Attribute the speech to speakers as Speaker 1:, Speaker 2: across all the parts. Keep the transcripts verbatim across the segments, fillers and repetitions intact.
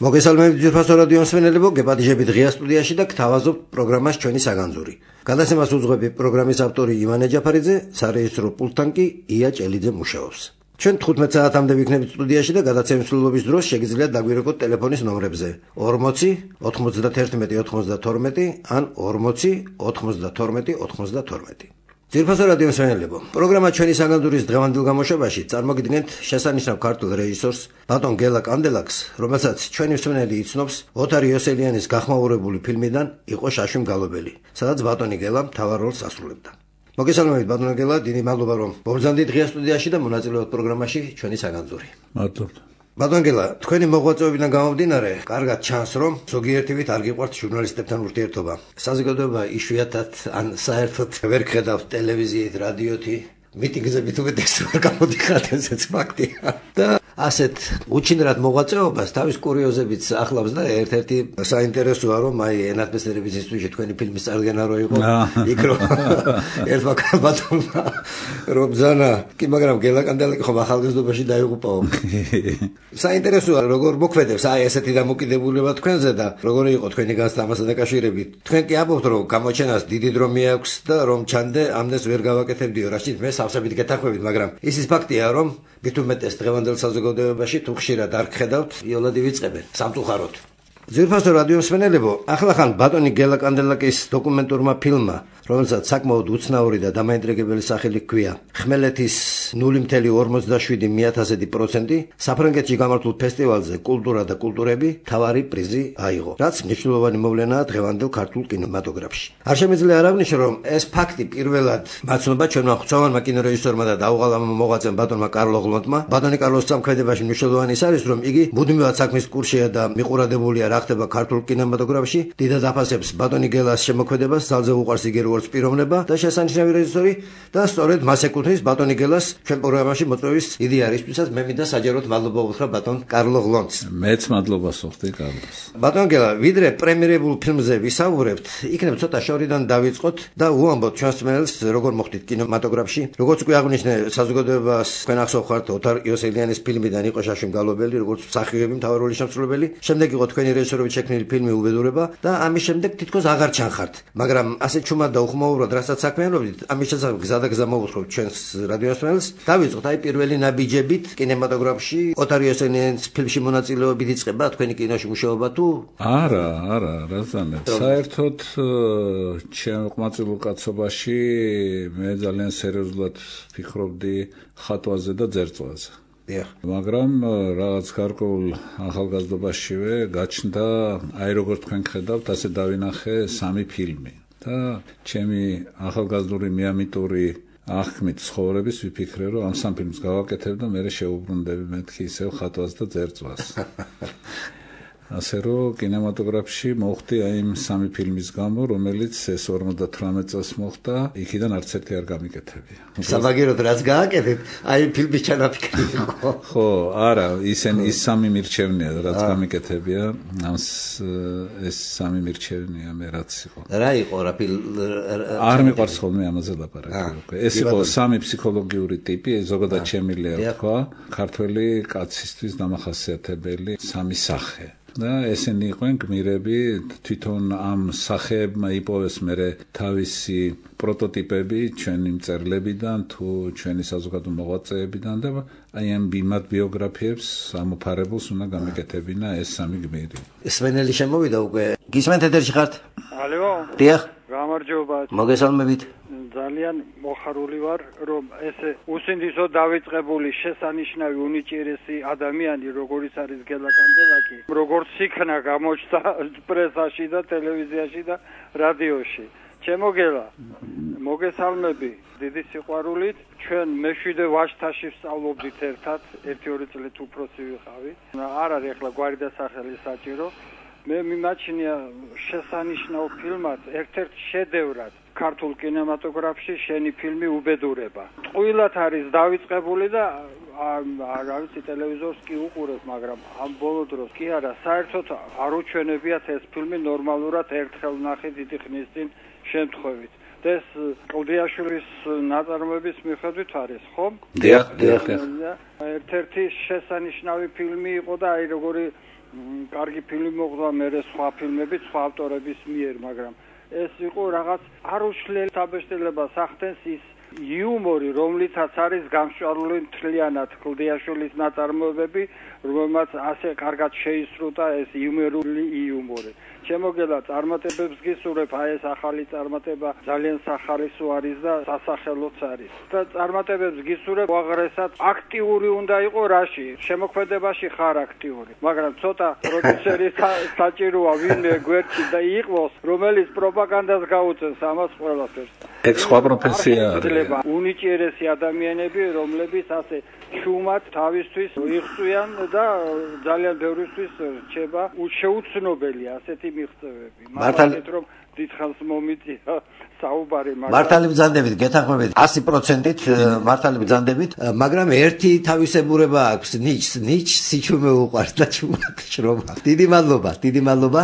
Speaker 1: მოგესალმებით ძვირფასო რადიო მსმენელებო, გეპატიჟებით ღია სტუდიაში და გთავაზობთ პროგრამას ჩვენი საგანძური. გადაცემას უძღვები პროგრამის ავტორი ივანე ჯაფარიძე, სარეჟისორო პულტთან კი ია ჭელიძე მუშაობს. ჩვენ თხუთმეტ საათამდე ვიქნებით სტუდიაში და გადაცემის მსვლელობის დროს შეგიძლიათ დაგვირეკოთ ტელეფონის ნომრებზე ორმოცი ოცდაათერთმეტი ოცდათორმეტი ან ორმოცი ოცდათორმეტი ოცდათორმეტი. ძვირფასო რადიო მსმენელებო, პროგრამა ჩვენი საგანძურის დღევანდელ გამოშვებაში წარმოგიდგენთ შესანიშნავ ქართულ რეჟისორს ბატონ გელა კანდელაკს, რომელსაც ჩვენი მსმენელი იცნობს ოთარ იოსელიანის გახმაურებული ფილმიდან იყო შაშვი მგალობელი, სადაც ბატონი გელა მთავარ როლს ასრულებდა. მოგესალმებით ბატონო გელა, დიდი მადლობა რომ მოგზავნით ღია სტუდიაში და მონაწილეობთ პროგრამაში ჩვენი საგანძური.
Speaker 2: მადლობა.
Speaker 1: ბატონ გელა, თქვენი მოღვაწეობიდან გამომდინარე, კარგად ჩანს, რომ ზოგიერთივით არ გიყვართ ჟურნალისტებთან ურთიერთობა. საზოგადოება იშვიათად ან საერთოდ ვერ გხედავთ ტელევიზიით, რადიოთი, მიტინგზებით უმეტეს ვერ გამოდიხართ, ესეც ფაქტია. და ასეთ უჩინრად მოღვაწეობას თავის კურიოზებით ახლავს და ერთ-ერთი საინტერესოა, რომ აი ენათმეცნიერების ინსტიტუტში თქვენი ფილმის წარდგენა რო იყო, იქ რო ერთმა ბატონმა რომ ბრძანა, კი მაგრამ გელა კანდელაკი ხომ ახალგაზრდობაში დაიღუპაო. საინტერესოა, როგორ მოქმედებს აი ესეთი დამოკიდებულება თქვენზე და როგორი იყო თქვენი განსამასა დაკავშირებით. თქვენ კი ამბობთ, რომ გამოჩენას დიდი დრო მიაქვს და რომ ჩანდე ამდენს ვერ გავაკეთებდიო, რაშიც მე სავსებით გეთანხმებით, მაგრამ ისიც ფაქტია, რომ მით უმეტეს დღევანდელ საზოგადოებაში თუ ხშირად არ გხედავთ, იოლად ივიწყებენ სამწუხაროდ. ძვირფასო რადიო მსმენელებო, ახლახან ბატონი გელა კანდელაკის დოკუმენტურმა ფილმმა, რომელსაც საკმაოდ უცნაური და დამაინტრიგებელი სახელი ჰქვია, ხმელეთის ნული ორმოცდაშვიდი ორმოცდაშვიდი ათასედი პროცენტი, საფრანგეთში გამართულ ფესტივალზე კულტურა და კულტურები თავარი პრიზი აიღო, რაც მნიშვნელოვანი მოვლენაა დღევანდელ ქართულ კინემატოგრაფში. არ შემიძლია არ აღვნიშნო, რომ ეს ფაქტი პირველად მაცნობა ჩვენმა ღვთაევანმა კინორეჟისორმა და დაუღალავმა მოღვაწემ ბატონმა კარლო ღლონტმა. ბატონი კარლოს სამქმედებაში მნიშვნელოვანი ის არის, რომ იგი მუდმივად საქმის კურსშია და მიყურადებულია რა ხდება ქართულ კინემატოგრაფში, დიდად აფასებს ბატონი გელას შემოქმედებას, ძალზე უყვარს იგი როგორც პიროვნება და შესანიშნავი რეჟისორი და სწორედ მას ეკუთვნის ბატონი გელას ჩვენ პროგრამაში მოწვევის იდეა რისთვისაც მე მინდა საჯაროდ მადლობა უთხრა ბატონ კარლო ღლონტს.
Speaker 2: მეც მადლობას ვუხდი კარლოს.
Speaker 1: ბატონ გელა, ვიდრე პრემიერებულ ფილმზე ვისაუბრებთ, იქნებ ცოტა შორიდან დავიწყოთ და უამბოთ ჩვენს მსმენელს როგორ მოხდით კინემატოგრაფში. როგორც უკვე აღვნიშნე, საზოგადოებას თქვენ ახსოვხართ ოთარ იოსელიანის ფილმიდან იყო შაშვი მგალობელი, როგორც მსახიობი მთავარი როლის შემსრულებელი. შემდეგ იყო თქვენი რეჟისორობით შექმნილი ფილმი უბედურება და ამის შემდეგ თითქოს აღარ ჩანხართ. მაგრამ ასე ჩუმად და უხმაურად რასაც საქმიანობდით, ამის შესახებ გზა და გზა მოვუხმობთ ჩვენს რადიო მსმენელს. დავიწყოთ აი პირველი ნაბიჯებით კინემატოგრაფში ოთარ იოსელიანის ფილმში მონაწილეობით იწყება თქვენი კინოში მუშაობა თუ?
Speaker 2: არა, არა, რაზანებს. საერთოდ ჩემ ყმაწვილ კაცობაში მე ძალიან სერიოზულად ფიქრობდი ხატვაზე და ძერწვაზე. მაგრამ რაღაც გარკვეულ ახალგაზრდობაშივე გაჩნდა, აი როგორც თქვენ ხედავთ, ასე დავინახე სამი ფილმი. და ჩემი ახალგაზრდული მიამიტური აღქმით ცხოვრების ვიფიქრე, რომ ამ სამ ფილმს გავაკეთებ და მე შეუბრუნდები მეთქი ისევ ხატვას და ძერწვას. ასე რომ კინემატოგრაფში მოხდი აი იმ სამი ფილმის გამო, რომელიც ეს ორმოცდათვრამეტ წელს მოხდა, იქიდან არც ერთი არ გამიკეთებია.
Speaker 1: საბაგიროდ რაც გააკეთეთ, აი ფილმის ჩანაფიქრი იყო.
Speaker 2: ხო, არა, ისენ ის სამი მირჩევნია, რაც გამიკეთებია, ამს ეს სამი მირჩევნია მე რაც იყო.
Speaker 1: რა იყო რა ფილმ?
Speaker 2: არ მიყვარს ხოლმე ამაზე ლაპარაკი. ეს იყო სამი ფსიქოლოგიური ტიპი, ზოგადად შემიძლია თქვა, ქართველი კაცისთვის დამახასიათებელი სამი სახე. და ესენი იყვნენ გმირები, თვითონ ამ სახეებმა იპოვეს მერე თავისი პროტოტიპები ჩვენი მწერლებიდან თუ ჩვენი საზოგადო მოღვაწეებიდან და აი ამ ბიმად ბიოგრაფიებს ამოფარებულს უნდა გამიკეთებინა ეს სამი გმირი.
Speaker 1: სვენელი შემოვიდა უკვე. გისმენთ ეთერში ხართ?
Speaker 3: ალო.
Speaker 1: დიახ.
Speaker 3: გამარჯობა.
Speaker 1: მოგესალმებით.
Speaker 3: ძალიან მოხარული ვარ, რომ ესე უსინდისო დავიწყებული შესანიშნავი უნიჭიერესი ადამიანი, როგორიც არის გელა კანდელაკი, როგორც იქნა გამოჩნდა პრესაში და ტელევიზიაში და რადიოში. ჩემო გელა, მოგესალმები დიდი სიყვარულით. ჩვენ მეშვიდე ვაჟთაში ვსწავლობდით ერთად, ერთი-ორი წლით უფროსი ვიყავი. არ არის ახლა გვარი და სახელი საჭირო. მე მიმაჩნია შესანიშნავ ფილმად, ერთ-ერთ შედევრად ქართულ კინემატოგრაფში შენი ფილმი უბედურება. ტყუილად არის დავიწყებული და რა ვიცი ტელევიზორს კი უყურებ, მაგრამ ამ ბოლო დროს კი არა, საერთოდ არ უჩვენებიათ ეს ფილმი ნორმალურად ერთხელ ნახე დიდი ხნის წინ შემთხვევით. ეს კლდიაშვილის ნაწარმოების მიხედვით არის, ხო?
Speaker 2: დიახ, დიახ.
Speaker 3: ერთ-ერთი შესანიშნავი ფილმი იყო და აი როგორი კარგი ფილმი მოხდა მერე სხვა ფილმებით, სხვა ავტორების მიერ, მაგრამ ეს იყო რაღაც არ უშლელი საბეჭდილებას ახდენს ის იუმორი, რომლითაც არის გამსჭვალული მთლიანად კლდიაშვილის ნაწარმოებები, რომელმაც ასე კარგად შეისრულა ეს იუმორული იუმორი. შემოგელა წარმატებებს გისურვებ, აი ეს ახალი წარმატება ძალიან სახალისო არის და სასახელოც არის. და წარმატებებს გისურვებ, უაღრესად აქტიური უნდა იყო რაში, შემოქმედებაში ხარ აქტიური, მაგრამ ცოტა პროდიუსერი საჭიროა ვინმე გვერდში და იყოს, რომელიც პროპაგანდას გაუწევს ამას ყველაფერს.
Speaker 2: ეგ სხვა პროფესია არის.
Speaker 3: უნიჭიერესი ადამიანები, რომლებიც ასე შუმად თავისთვის იღწვიან და ძალიან ბევრისთვის რჩება შეუცნობელი ასეთი მიღწევები.
Speaker 1: მართალ
Speaker 3: რომ დიდხანს მომიწია საუბარი,
Speaker 1: მაგრამ მართალი ბრძანდებით გეთანხმებით one hundred percent-ით მართალი ბრძანდებით, მაგრამ ერთი თავისებურება აქვს, ნიჩს, ნიჩს სიჩუმე უყვარს და ჩუმად შრომა. დიდი მადლობა, დიდი მადლობა.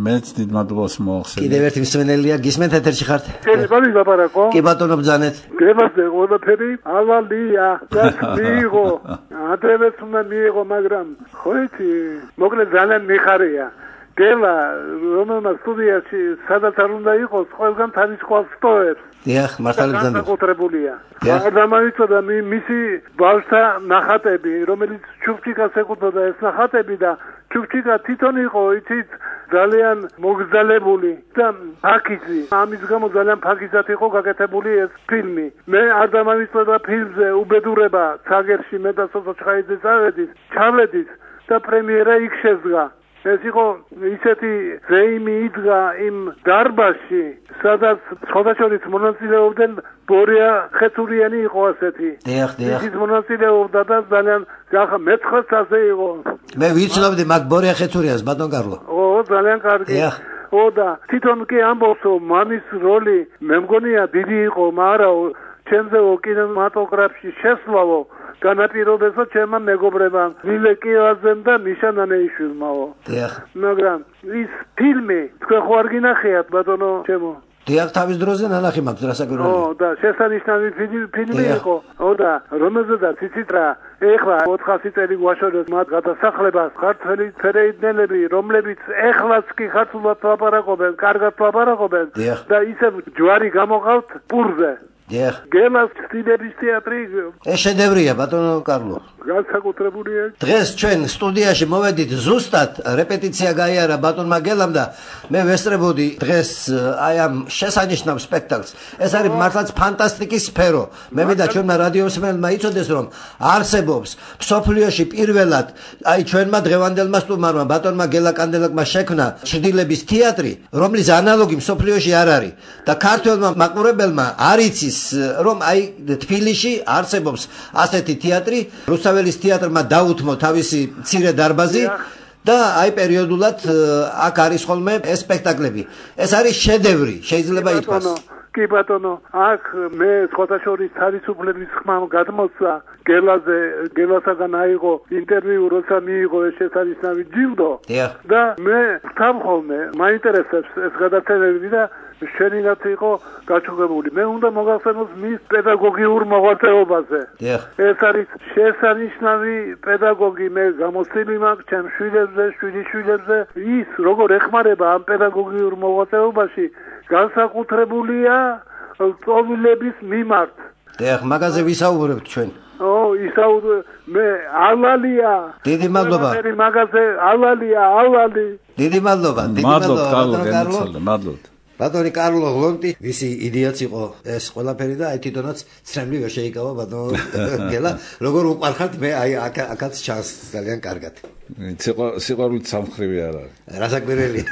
Speaker 2: მეც დიდ მადლობას მოახსენე.
Speaker 1: კიდევ ერთი მსმენელია, გისმენთ ეთერში ხართ?
Speaker 4: შეიძლება ვილაპარაკო?
Speaker 1: კი ბატონო ბრძანეთ.
Speaker 4: გემაზე ყველაფერი ავალია, და მიიღო. ადრევეც უნდა მიიღო, მაგრამ ხო იცი, მოკლედ ძალიან მიხარია. გელა რომელმაც სტუდიაში სადაც არ უნდა იყოს, ყველგან თავის ყავს სტოებს.
Speaker 1: დიახ, მართალი ბრძანებით.
Speaker 4: განსაკუთრებულია. და მომიწოდა მისი ბავშთა ნახატები, რომელიც ჩუქჩიკას ეკუთვნოდა ეს ნახატები და ჩუქჩიკა თვითონ იყო, იცით, ძალიან მოგზალებული და ფაქიზი. ამის გამო ძალიან ფაქიზად იყო გაკეთებული ეს ფილმი. მე არ დამამიწოდა ფილმზე უბედურება ცაგერში მე და სოხაიძეს ავედის, ჩავედის და პრემიერა იქ შედგა. ეს იყო ისეთი ზეიმი იდგა იმ დარბაზში, სადაც სხვადასხვა მონაწილეობდნენ ბორია ხეთურიანი იყო ასეთი.
Speaker 1: დიახ, დიახ.
Speaker 4: ის მონაწილეობდა და ძალიან ახლა მეცხრე წელზე იყო.
Speaker 1: მე ვიცნობდი მაგ ბორია ხეთურიანს, ბატონ კარლო.
Speaker 4: ო, ძალიან კარგი.
Speaker 1: დიახ.
Speaker 4: ო და თვითონ კი ამბობს, რომ მამის როლი მე მგონია დიდი იყო, მაგრამ ჩემზე კინემატოგრაფში შესვლავო განაპირობებსა ჩემმა მეგობრებმა ვილე კიევაძემ და მიშა ნანეიშვილმაო.
Speaker 1: დიახ.
Speaker 4: მაგრამ ის ფილმი თქვენ ხო არ გინახიათ ბატონო ჩემო?
Speaker 1: დიახ, თავის დროზე ნანახი მაქვს რასაკვირველია.
Speaker 4: ო და შესანიშნავი ფილმი იყო. ო და რომელზედაც იცით რა, ეხლა ოთხასი წელი გვაშორებს მათ გადასახლებას ქართველი ფერეიდნელები, რომლებიც ეხლაც კი ხარცულად ლაპარაკობენ, კარგად ლაპარაკობენ და ისევ ჯვარი გამოყავთ პურზე.
Speaker 1: დიახ.
Speaker 4: გელას სტილების თეატრი
Speaker 1: ეს შედევრია ბატონო კარლო.
Speaker 4: განსაკუთრებულია.
Speaker 1: დღეს ჩვენ სტუდიაში მოვედით ზუსტად რეპეტიცია გაიარა ბატონმა გელამ და მე ვესწრებოდი დღეს აი ამ შესანიშნავ სპექტაკლს. ეს არის მართლაც ფანტასტიკის სფერო. მე მინდა ჩვენმა რადიოსმენელმა იცოდეს, რომ არსებობს მსოფლიოში პირველად აი ჩვენმა დღევანდელმა სტუმარმა ბატონმა გელა კანდელაკმა შექმნა ჩრდილების თეატრი, რომლის ანალოგი მსოფლიოში არ არის და ქართველმა მაყურებელმა არ იცის, რომ აი თბილისში არსებობს ასეთი თეატრი. რუსაველის თეატრმა დაუთმო თავისი მცირე დარბაზი და აი პერიოდულად აქ არის ხოლმე ეს სპექტაკლები. ეს არის შედევრი, შეიძლება ითქვას.
Speaker 4: კი ბატონო, აქ მე სხვადასხვა თავისუფლების ხმა გადმოსცა გელაზე, გელასაგან აიღო ინტერვიუ, როცა მიიღო ეს შესანიშნავი ჯილდო და მე ვთამ ხოლმე, მაინტერესებს ეს გადაცემები და შენინაც იყო გაჩუქებული. მე უნდა მოგახსენოს მის პედაგოგიურ მოღვაწეობაზე. ეს არის შესანიშნავი პედაგოგი, მე გამოცდილი მაქვს ჩემ შვილებზე, შვილიშვილებზე. ის როგორ ეხმარება ამ პედაგოგიურ მოღვაწეობაში განსაკუთრებულია წოვილების მიმართ.
Speaker 1: დიახ, მაგაზე ვისაუბრებთ ჩვენ.
Speaker 4: ო, ისაუბრე მე ალალია.
Speaker 1: დიდი მადლობა.
Speaker 4: მე მაგაზე ალალია, ალალი.
Speaker 1: დიდი მადლობა, დიდი მადლობა
Speaker 2: ბატონო კარლო. მადლობთ.
Speaker 1: ბატონი კარლო ლონტი, ვისი იდეაც იყო ეს ყველაფერი და აი თვითონაც ცრემლი ვერ შეიკავა ბატონო გელა, როგორ უყარხართ მე აი აქაც ჩანს ძალიან კარგად.
Speaker 2: სიყვარულით სამხრივი არ არის.
Speaker 1: რასაკვირველია.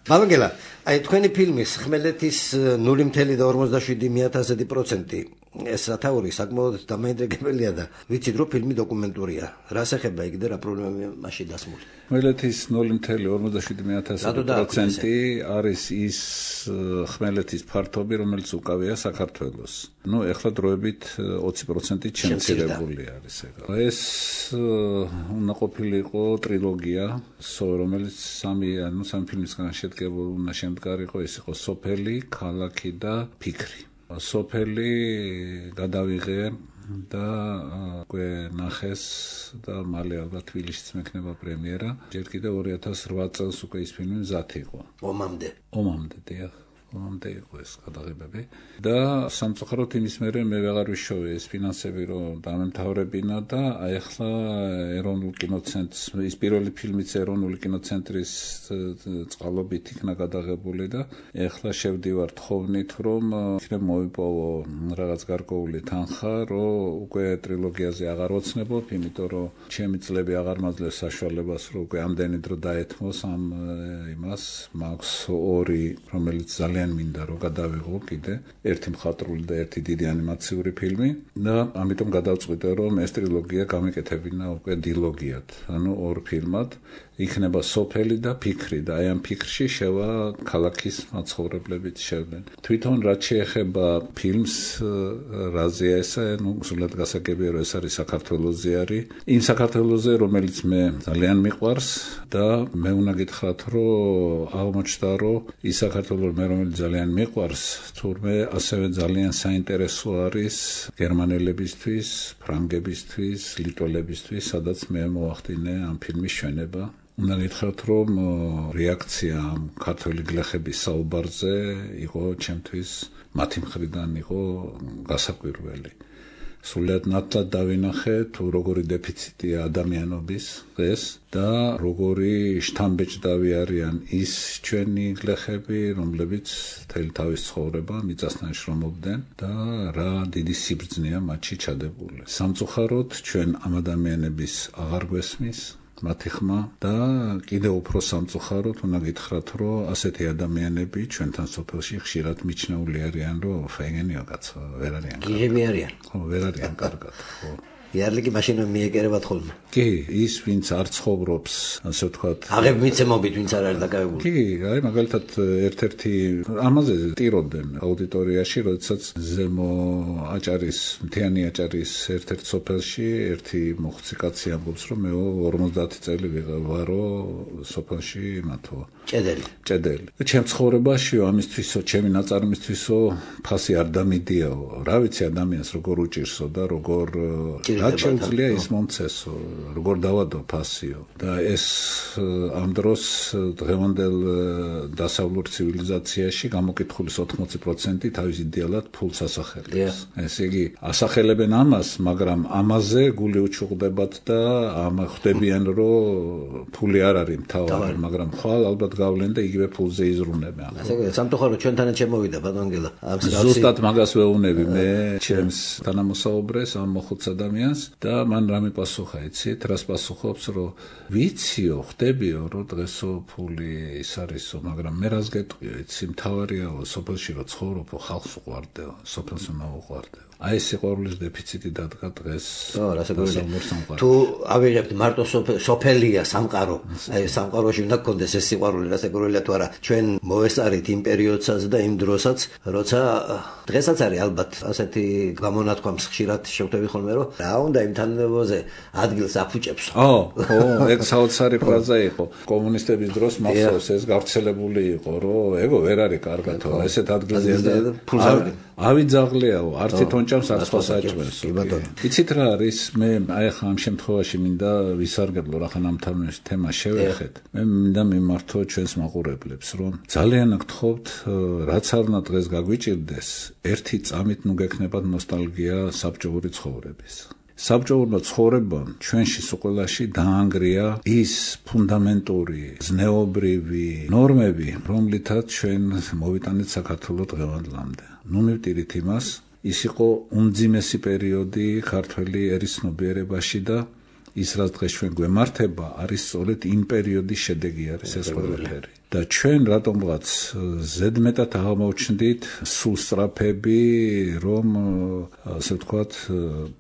Speaker 1: ბატონ გელა, აი თქვენი ფილმის ხმელეთის ნული ორმოცდაშვიდი მეათასედი პროცენტი ეს სათაური საკმაოდ დამაინტერესებელია და ვიცით რომ ფილმი დოკუმენტურია. რას ეხება იქ და რა პრობლემაა მასში დასმული?
Speaker 2: ხმელეთის ნული ოცდაშვიდი პროცენტი არის ის ხმელეთის ფართობი, რომელიც უკავია საქართველოს. ნუ ეხლა დროებით ოცი პროცენტი შემცირებული არის ეგ. ეს უნდა ყოფილიყო ტრილოგია, რომელიც სამი, ანუ სამი ფილმისგან შედგებულ უნდა შემდგარიყო, ეს იყო სოფელი, ქალაქი და ფიქრი. სოფელი გადავიღე და უკვე ნახეს და მალე ალბათ თბილისშიც მექნება პრემიერა. ჯერ კიდევ ორი ათას რვა წელს უკვე ის ფილმი მზად იყო.
Speaker 1: ომამდე.
Speaker 2: ომამდე, დიახ. ომამდე იყო ეს გადაღებები და სამწუხაროდ იმის მერე მე ვეღარ ვიშოვე ეს ფინანსები რომ დამემთავრებინა და აი ახლა ეროვნულ კინოცენტრს ის პირველი ფილმიც ეროვნული კინოცენტრის წყალობით იქნა გადაღებული და ახლა შევდივარ თხოვნით რომ იქნებ მოვიპოვო რაღაც გარკვეული თანხა რომ უკვე ტრილოგიაზე აღარ ვოცნებობ, იმიტომ რომ ჩემი წლები აღარ მაძლევს საშუალებას რომ უკვე ამდენი დრო დაეთმოს ამ იმას. მაქვს ორი რომელიც ძალიან მინდა რომ გადავიღო კიდე ერთი მხატვრული და ერთი დიდი ანიმაციური ფილმი და ამიტომ გადავწყვიტე რომ ეს ტრილოგია გამეკეთებინა უკვე დილოგიად, ანუ ორ ფილმად. იქნება სოფელი და ფიქრი და აი ამ ფიქრში შევა ქალაქის მაცხოვრებლებით შევდნენ. თვითონ რაც შეეხება ფილმს, რაზეა ესა, ნუ სულად გასაგებია რომ ეს არის საქართველოზე არის. იმ საქართველოზე, რომელიც მე ძალიან მიყვარს და მე უნდა გითხრათ რომ აღმოჩნდა რომ ის საქართველო მე რომელიც ძალიან მიყვარს, თურმე ასევე ძალიან საინტერესო არის გერმანელებისთვის, ფრანგებისთვის, ლიტველებისთვის, სადაც მე მოვახდინე ამ ფილმის ჩვენება. უნდა გითხრათ რომ რეაქცია ამ ქართველი გლეხების საუბარზე იყო ჩემთვის მათი მხრიდან იყო გასაკვირველი. სულად ნათლად დავინახე თუ როგორი დეფიციტია ადამიანობის დღეს და როგორი შთამბეჭდავი არიან ის ჩვენი გლეხები, რომლებიც მთელი თავის ცხოვრება მიწასთან შრომობდნენ და რა დიდი სიბრძნეა მათში ჩადებული. სამწუხაროდ ჩვენ ამ ადამიანების აღარ გვესმის მათი ხმა და კიდევ უფრო სამწუხაროდ უნდა გითხრათ რომ ასეთი ადამიანები ჩვენთან სოფელში ხშირად მიჩნეული არიან რომ ფეგენიო კაცო ვერ არიან.
Speaker 1: გიჟები არიან.
Speaker 2: ხო, ვერ არიან კარგად, ხო.
Speaker 1: იარლიკი მაშინ მიეკერებათ ხოლმე.
Speaker 2: კი, ის ვინც არ ცხოვრობს, ასე ვთქვათ,
Speaker 1: აღებ მიცემობით ვინც არ არის დაკავებული.
Speaker 2: კი, აი მაგალითად ერთ-ერთი ამაზე ტირობდნენ აუდიტორიაში, როდესაც ზემო აჭარის, მთიანი აჭარის ერთ-ერთ სოფელში ერთი მოხუცი კაცი ამბობს, რომ მე ორმოცდაათი წელი ვარო სოფელში მათო.
Speaker 1: ჭედელი.
Speaker 2: ჭედელი. ჩემ ცხოვრებაშიო ამისთვისო, ჩემი ნაწარმისთვისო ფასი არ დამიდიაო. რა ვიცი ადამიანს როგორ უჭირსო და როგორ რა შეუძლია ის მომცესო, როგორ დავადო ფასიო და ეს ამ დროს დღევანდელ დასავლურ ცივილიზაციაში გამოკითხulis ოთხმოცი პროცენტი თავის იდეალად ფულს ასახელებს. ესე იგი, ასახელებენ ამას, მაგრამ ამაზე გული უჩუღდებათ და ამ ხვდებიან რომ ფული არ არის მთავარი, მაგრამ ხვალ ალბათ გავლენ და იგივე ფულზე იზრუნებიან.
Speaker 1: ასე იგი, სამწუხაროდ ჩვენთანაც შემოვიდა ბატონგელა.
Speaker 2: ზუსტად მაგას ვეუბნები მე ჩემს თანამოსაუბრეს ამ მოხუც ადამიანს და მან რამე პასუხა, იცით, რას პასუხობს, რომ ვიციო, ხდებიო, რომ დღესო ფული ის არისო, მაგრამ მე რას გეტყვიო, იცი, მთავარიაო, სოფელში რომ ცხოვრობო, ხალხს უყვარდეო, სოფელს უნდა უყვარდეო. აი ეს სიყვარულის დეფიციტი დადგა დღეს.
Speaker 1: ხო, რასაკვირველია. თუ ავიღებთ მარტო სოფელია სამყარო, აი სამყაროში უნდა გქონდეს ეს სიყვარული, რასაკვირველია თუ არა, ჩვენ მოვესწარით იმ პერიოდსაც და იმ დროსაც, როცა დღესაც არის ალბათ ასეთი გამონათქვამს ხშირად შევხვდები ხოლმე, რომ რა უნდა იმ თანამდებობაზე ადგილს აფუჭებს.
Speaker 2: ო, ხო, ეგ საოცარი ფრაზა იყო. კომუნისტების დროს მახსოვს ეს გავრცელებული იყო, რომ ეგო ვერ არის კარგათო, ესეთ ადგილზე
Speaker 1: ფულზავი
Speaker 2: ავიძაღლეაო, არც თონჭამს არც სხვას აჭმევს. იცით რა არის, მე აი ახლა ამ შემთხვევაში მინდა ვისარგებლო რახან ამ თემას შევეხეთ. მე მინდა მიმართო ჩვენს მაყურებლებს, რომ ძალიან გთხოვთ, რაც არ უნდა დღეს გაგვიჭირდეს, ერთი წამით ნუ გექნებათ ნოსტალგია საბჭოური ცხოვრების. საბჭოური ცხოვრება ჩვენში სულ დაანგრია ის ფუნდამენტური ზნეობრივი ნორმები, რომლითაც ჩვენ მოვიტანეთ საქართველოს დღევანდლამდე. ნუ მივტირით იმას, ის იყო უმძიმესი პერიოდი ქართველი ერისნობიერებაში და ის რაც დღეს ჩვენ გვემართება არის სწორედ იმ პერიოდის შედეგი არის ეს ყველაფერი. და ჩვენ რატომღაც ზედმეტად აღმოჩნდით სულ სწრაფები, რომ ასე ვთქვათ,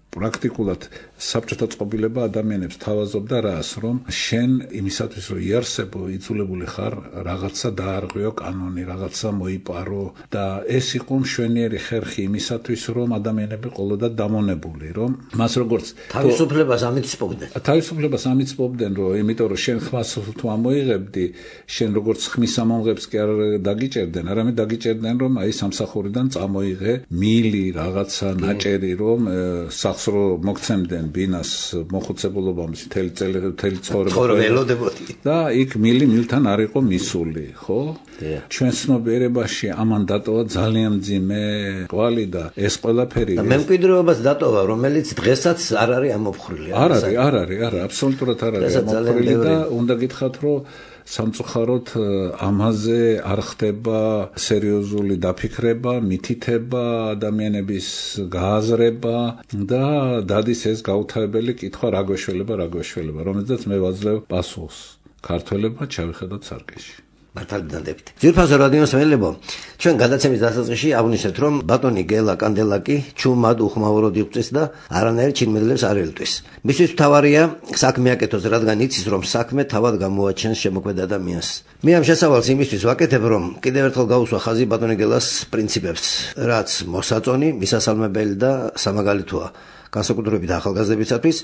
Speaker 2: პრაქტიკულად საბჭოთა წყობილება ადამიანებს თავაზობდა რას, რომ შენ იმისათვის რომ იარსებო, იწულებული ხარ, რაღაცა დაარღვიო კანონი, რაღაცა მოიპარო და ეს იყო მშვენიერი ხერხი იმისათვის, რომ ადამიანები ყოლოდათ დამონებული, რომ მას როგორც
Speaker 1: თავისუფლებას ამიწვევდნენ.
Speaker 2: თავისუფლებას ამიწვევდნენ, რომ იმიტომ რომ შენ ხმას თუ ამოიღებდი, შენ როგორც ხმის ამომღებს კი არ დაგიჭერდნენ, არამედ დაგიჭერდნენ, რომ აი სამსახურიდან წამოიღე მილი რაღაცა ნაჭერი, რომ რო მოგცემდნენ ბინას მოხუცებულობამის მთელი წელი მთელი
Speaker 1: ცხოვრება
Speaker 2: და იქ მილი მილთან არ იყო მისული, ხო? ჩვენ ცნობიერებაში ამან დატოვა ძალიან მძიმე კვალი და ეს ყველაფერი
Speaker 1: და მემკვიდრეობას დატოვა, რომელიც დღესაც არ არის ამოფხრილი.
Speaker 2: არ არის, არ არის, არა, აბსოლუტურად არ არის ამოფხრილი და უნდა გითხრათ, რომ სამწუხაროდ ამაზე არ ხდება სერიოზული დაფიქრება, მითითება, ადამიანების გააზრება და დადის ეს გაუთავებელი კითხვა რა გვეშველება, რა გვეშველება, რომელზეც მე ვაძლევ პასუხს. ქართველებმა ჩავიხედოთ სარკეში.
Speaker 1: მართალი დადებით. ძირფასო რადიოს მელეებო, ჩვენ გადაცემის დასაწყისში აღვნიშნეთ, რომ ბატონი გელა კანდელაკი ჩუმად უხმაუროდ იღვწის და არანაირ ჩინმედლებს არ ელტვის. მისთვის მთავარია საქმე აკეთოს, რადგან იცის, რომ საქმე თავად გამოაჩენს შემოქმედ ადამიანს. მე ამ შესავალს იმისთვის ვაკეთებ, რომ კიდევ ერთხელ გავუსვა ხაზი ბატონი გელას პრინციპებს, რაც მოსაწონი, მისასალმებელი და სამაგალითოა. განსაკუთრებით ახალგაზრდებისათვის,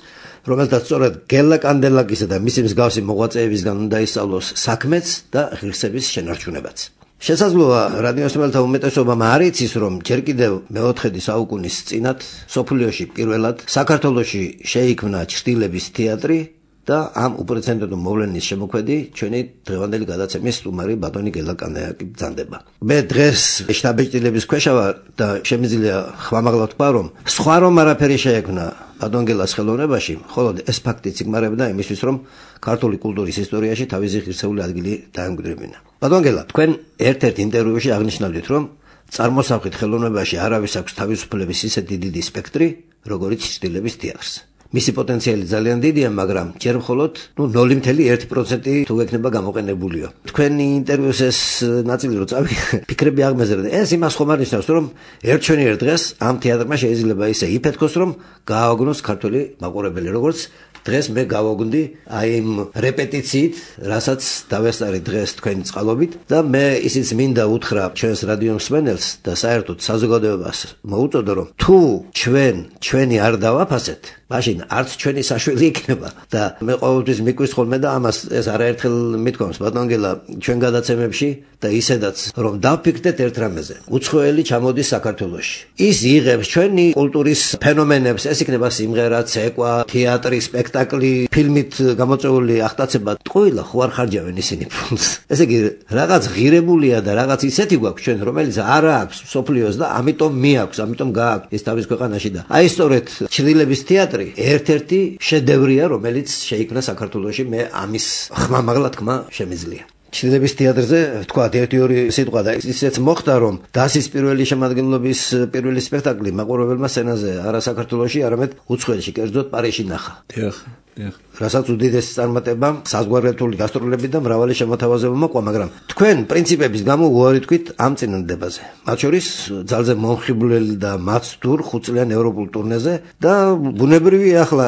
Speaker 1: რომელთაც სწორედ გელა კანდელაკისა და მისი მსგავსი მოღვაწეებისგან უნდა ისწავლოს საქმეც და ღირსების შენარჩუნებაც. შესაძლოა რადიოსმელთა უმეტესობამ არ იცის, რომ ჯერ კიდევ მეოთხედი საუკუნის წინათ სოფლიოში პირველად საქართველოში შეიქმნა ჩრდილების თეატრი და ამ უპრეცედენტო მოვლენის შემოქმედი ჩვენი დღევანდელი გადაცემის სტუმარი ბატონი გელა კანდელაკი ბრძანდება. მე დღეს შტაბ-ბეჭდილების ქვეშ ვარ და შემიძლია ხმამაღლა ვთქვა, რომ სხვა რომ არაფერი შეექმნა ბატონ გელას ხელოვნებაში, მხოლოდ ეს ფაქტი ციგმარებდა იმისთვის, რომ ქართული კულტურის ისტორიაში თავისი ღირსეული ადგილი დაემკვიდრებინა. ბატონ გელა, თქვენ ერთ-ერთ ინტერვიუში აღნიშნავთ, რომ წარმოსახით ხელოვნებაში არავის აქვს თავისუფლების ისეთი დიდი სპექტრი, როგორიც ჩრდილების თეატრს. მისი პოტენციალი ძალიან დიდია, მაგრამ ჯერ მხოლოდ ნუ ნული კომა ერთი პროცენტი თუ ექნება გამოყენებულიო. თქვენი ინტერვიუს ეს ნაწილი რო წავი ფიქრები აღმეზრდა. ეს იმას ხომ არ ნიშნავს, რომ ერთჩვენიერ დღეს ამ თეატრმა შეიძლება ისე იფეთქოს, რომ გააოგნოს ქართული მაყურებელი, როგორც დღეს მე გავოგნდი აი იმ რეპეტიციით, რასაც დავესწარი დღეს თქვენი წყალობით და მე ისიც მინდა უთხრა ჩვენს რადიო მსმენელს და საერთოდ საზოგადოებას მოუწოდო, რომ თუ ჩვენ ჩვენი არ დავაფასეთ, მაშინ არც ჩვენი საშველი იქნება და მე ყოველთვის მიკვის ხოლმე და ამას ეს არაერთხელ მithქვამს ბატონ გელა ჩვენ გადაცემებში და ისედაც რომ დავფიქრდეთ ერთ რამეზე. უცხოელი ჩამოდის საქართველოში. ის იღებს ჩვენი კულტურის ფენომენებს, ეს იქნება სიმღერა, ცეკვა, თეატრი, სპექტაკლი, ფილმით გამოწვეული ახტაცება. ტყუილა ხო არ ხარჯავენ ისინი ფულს. ესე იგი რაღაც ღირებულია და რაღაც ისეთი გვაქვს ჩვენ, რომელიც არ აქვს სოფლიოს და ამიტომ მიაქვს, ამიტომ გააქვს ის თავის ქვეყანაში და აი სწორედ ჩრდილების თეატრი ერთ-ერთი შედევრია, რომელიც შეიქმნა საქართველოში, მე ამის ხმამაღლა თქმა შემიძლია. ჩრდილების თეატრზე თქვა ერთი ორი სიტყვა და ისეც მოხდა, რომ დასის პირველი შემადგენლობის პირველი სპექტაკლი მაყურებელმა სცენაზე არა საქართველოში, არამედ უცხოეთში, კერძოდ პარიზში ნახა.
Speaker 2: დიახ, დიახ.
Speaker 1: რასაც უდიდესი წარმატება, საზღვარგარეთული გასტროლები და მრავალი შემოთავაზება მოყვა, მაგრამ თქვენ პრინციპების გამო უარი თქვით ამ წინადადებაზე. მათ შორის ძალზე მომხიბვლელი და მაცდურ ხუთწლიან ევროპულ ტურნეზე და ბუნებრივია ახლა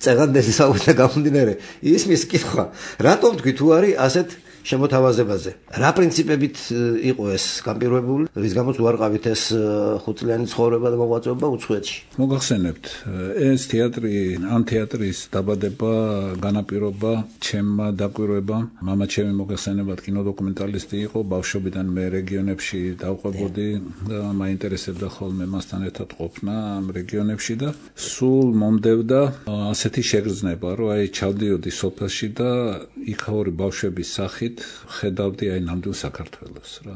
Speaker 1: წეღანდელი საუბართა გამომდინარე ისმის კითხვა, რატომ თქვი თუ არის ასეთ შემოთავაზებაზე. რა პრინციპებით იყო ეს განპირობებული, რის გამოც უარყავით ეს ხუთწლიანი ცხოვრება და მოღვაწეობა უცხოეთში?
Speaker 2: მოგახსენებთ, ეს თეატრი, ამ თეატრის დაბადება, განაპირობა ჩემმა დაკვირვებამ. მამა ჩემი მოგახსენებათ კინოდოკუმენტალისტი იყო, ბავშვობიდან მე რეგიონებში დავყვებოდი და მაინტერესებდა ხოლმე მასთან ერთად ყოფნა ამ რეგიონებში და სულ მომდევდა ასეთი შეგრძნება, რომ აი ჩავდიოდი სოფელში და იქაური ბავშვების სახით ხედავდი აი ნამდვილ საქართველოს რა.